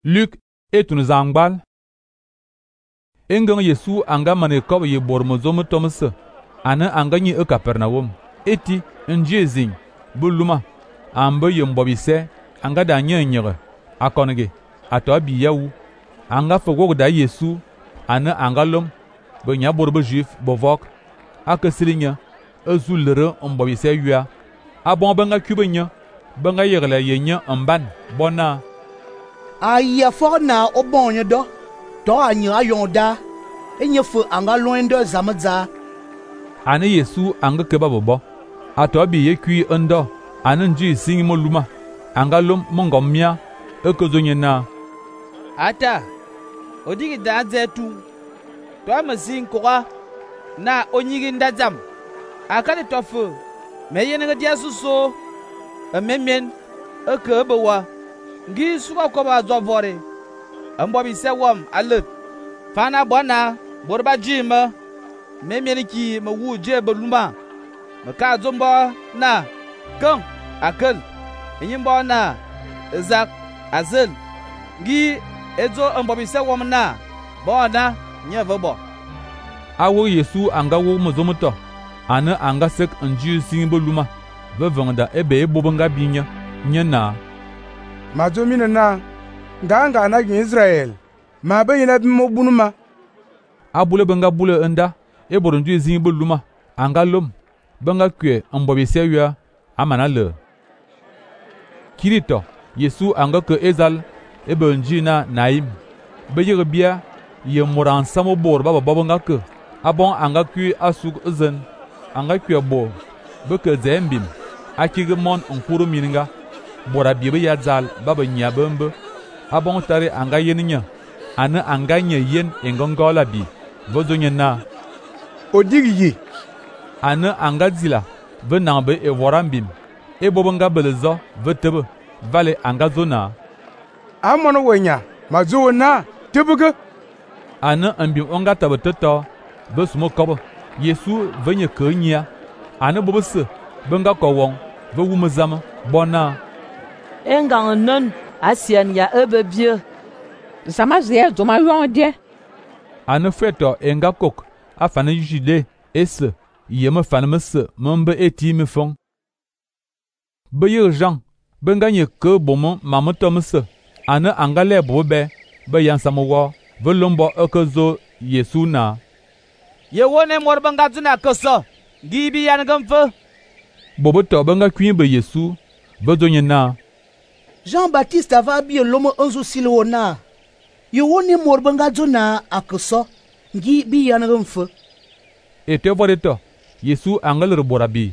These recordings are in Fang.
Luc etun zangbal. Engang Yesu anga mane kob ye bor mozom tomse. Ane anga nyi Kapernaum. Eti nje zing buluma ambe ye mbobise anga da nyanyere akonge ato bi yawu anga fogo da Yesu ane anga lom be nya borbe juif bovok akesilinya ezulere mbobise yua abon benga kubenya benga yegle yenya mban bona aya forna obonye do anya ayonda enyefu anga loindo zamadza ane Yesu anga keba bobo ato bi yekui ndo ane nji sing moluma anga lom mongomia ekozonye na ata odigi da zetu to amasin koga na onyigi ndazam akade tofu meyene dia suso memen ekebewa ngi suka ko ba zovore ambo bi sewom alut fana bona borba jima memen ki mawu je beluma maka zomba na kan akal enyimbo na zak azil ngi ezo ambo bi sewom na bona nyevebo awo Yesu anga wo mozomoto ane anga sek nji singbo luma vevongda ebe ebobanga binya nyana mazomina na nganga na Israel ma bayina bimo bunuma abule benga bule nda eboro nji singbo luma anga lom benga kwe mbobi sewya amana le kirito Yesu anga ke ezal ebe nji na naim beye bia ye moran samo bor baba babanga ke abon anga kwi asuk zen anga kwi bo beke zembim akige mon nkuru mininga bora bibe ya zal baba nyabembe abon tare anga yeninya ane anga nye yen engongola bi vozonya na odigi ane anga zila venambe e worambim e bobanga belezo vetebe vale anga zona amono wenya mazo na tebuge ane ambim onga tabeteto besumo kobo Yesu venye kenya ane bobese benga kowon ve wumezama bona engang non asian ya ebebie sama zia zoma yonde ane feto enga kok afane jide ese yeme fanemese membe eti me fon beye Jean benga nye ke bomo mamotomse ane angale bobe be yansamowo velombo ekezo Yesu na ye wone mor banga zuna koso gibi yan gamfe boboto benga kwimbe Yesu vezonye na Jean-Baptiste ava bi lomo onzo silona ye wone mor banga zuna akoso gibi yan gamfe ete vodeto Yesu angalere borabi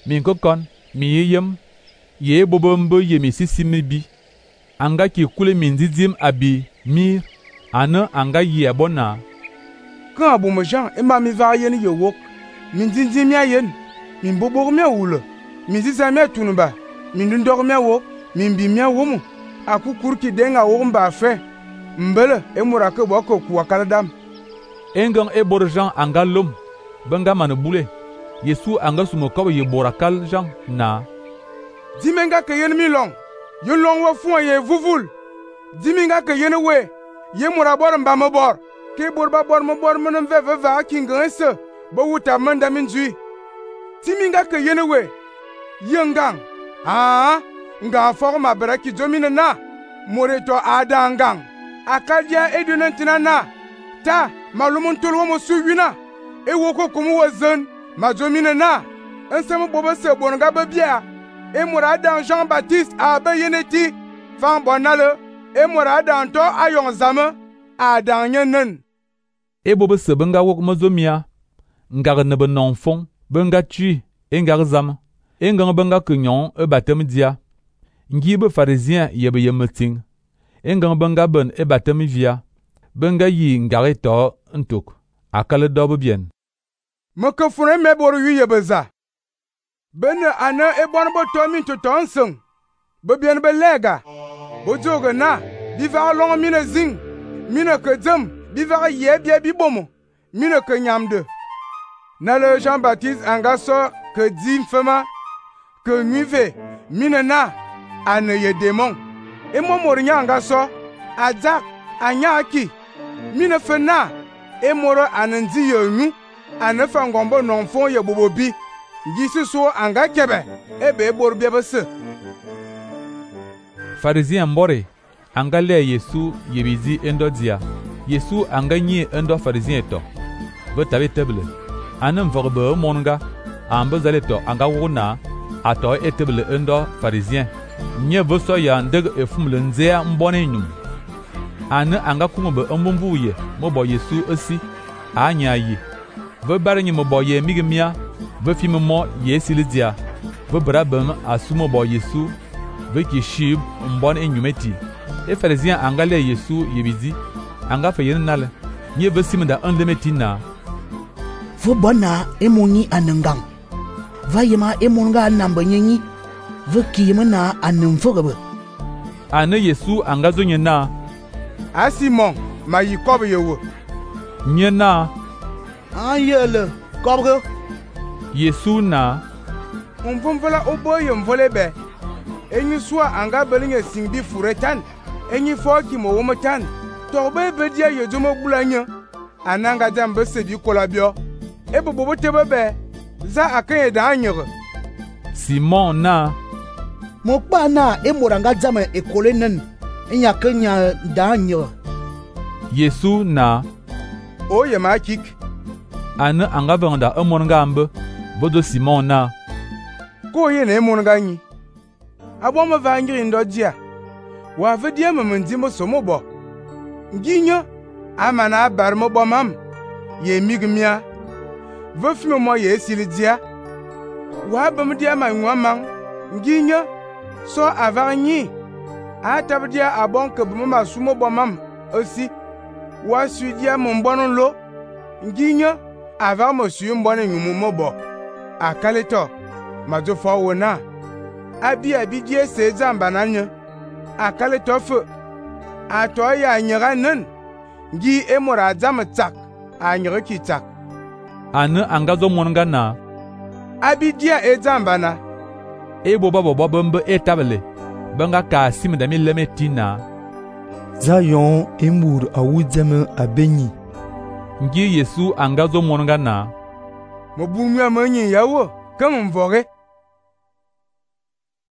min kokon mi yem ye bobombe ye mi sisimi bi anga ki kule min dizim abi mir ane anga ye bona kan abu Jean ema mi va yen ye wok min dindim ya yen min bobor me wule min zisa me tunba min ndor me wo min bi me wo mu akukur ki denga wo mba fe mbele emura ke boko ku akaladam engang e bor Jean anga lom benga mane bule Yesu anga sumo ko ye borakal Jean na dimenga ke yen mi long ye long wo fun ye vuvul dimenga ke yen we ye mura bor mba mo bor ke borba bor mo bor mo nve va kinganse bo wuta manda min jui timinga ke yen we yengang nga forma braki domine na moreto adangang akadia edunentina na ta malumun tulwo mo suwina e woko kumu wazen ma domine na ensem bobo se bonga babia e murada Jean-Baptiste abe yeneti fan bonale e murada to ayon zame adanyenen e bobo se benga wok mazomia ngar ne benon fon benga tu engar zam engang benga kunyon e batem dia ngibe pharisien yebe yemeting engang benga ben e batem via benga yi ngare to ntuk akale dobo bien meke fune me boru yu yebeza bene ana e bon bo to min to tonsung be bien be lega bo joga na bi va long mine zing mine ke dzem bi va ye bia bi bomo mine ke nyamde na le Jean-Baptiste angaso que dim fema que nuive mine na ane ye démon e mo morinya angaso Azak anyaki mine fena e moro ananzi yonu anafa ngombo nonfon ye bobobi ngisi so anga kebe ebe borbia bese. Pharisien mbore anga le Yesu yebizi endo dia. Yesu anga nyi endo pharisien to. Be tabe table. Anem vorbe monga ambe zale to anga wona ato etable endo pharisien. Nye boso ya ndeg efumle nzea mbone nyum. Ane anga kungobe mbumbuye mobo Yesu osi anya yi. Ve bare nyi mobo ye migimia ve fimmo Yesu dia. Ve brabem asumo bo Yesu ve ki shib mbone nyumeti. E pharisien anga le Yesu yebizi anga fe yen nale. Nye ve simda enlemetina. Vo bona emoni anangang. Va yema emonga namba nyenyi. Ve kiyema na anamfogabe. Ane Yesu anga zo nyena. A Simon ma yi kobe yewo. Nyena. Ayele kobre. Yesu na. Mvumvola oboye mvolebe. Enyi swa anga belinye singbi furetan. Enyi foki mo womotan. Torbe bedia yejomo bulanya. Ananga jambe sebi kolabio. Ebo bobo tebebe. Za akanye da anyere. Simon na. Mokpa na emoranga jama ekole nen. Enya kenya da anyere. Yesu na. Oye ma kik. Ane anga benda emonga ambe. Bodo Simon na. Ko ye na emonga nyi. Abo ma va ngiri ndo dia. Wa vedia memendi mo somo bo. Nginyo amana abar mo bo mam. Ye migmia. Ve fime mo ye sili dia. Wa bam dia ma nwamang. Nginyo so avanyi. Atab dia abon ke buma sumo bo mam aussi. Wa su dia mo mbonon lo. Nginyo ava mo su mbone nyumu mo bo. Akaleto majo fo wona. Abi die se zamba nanya. Akale tofu ato ya nyera nen gi emora jam tsak a nyera ki tsak. Ane anga zo monga na. Abi dia e zamba na. Ebo babo bambe etabele. Banga ka simda mi lemetina. Zayon emur awudzeme abenyi. Ngi Yesu anga zo monga na. Mo bunwa manyi yawo kam mvore.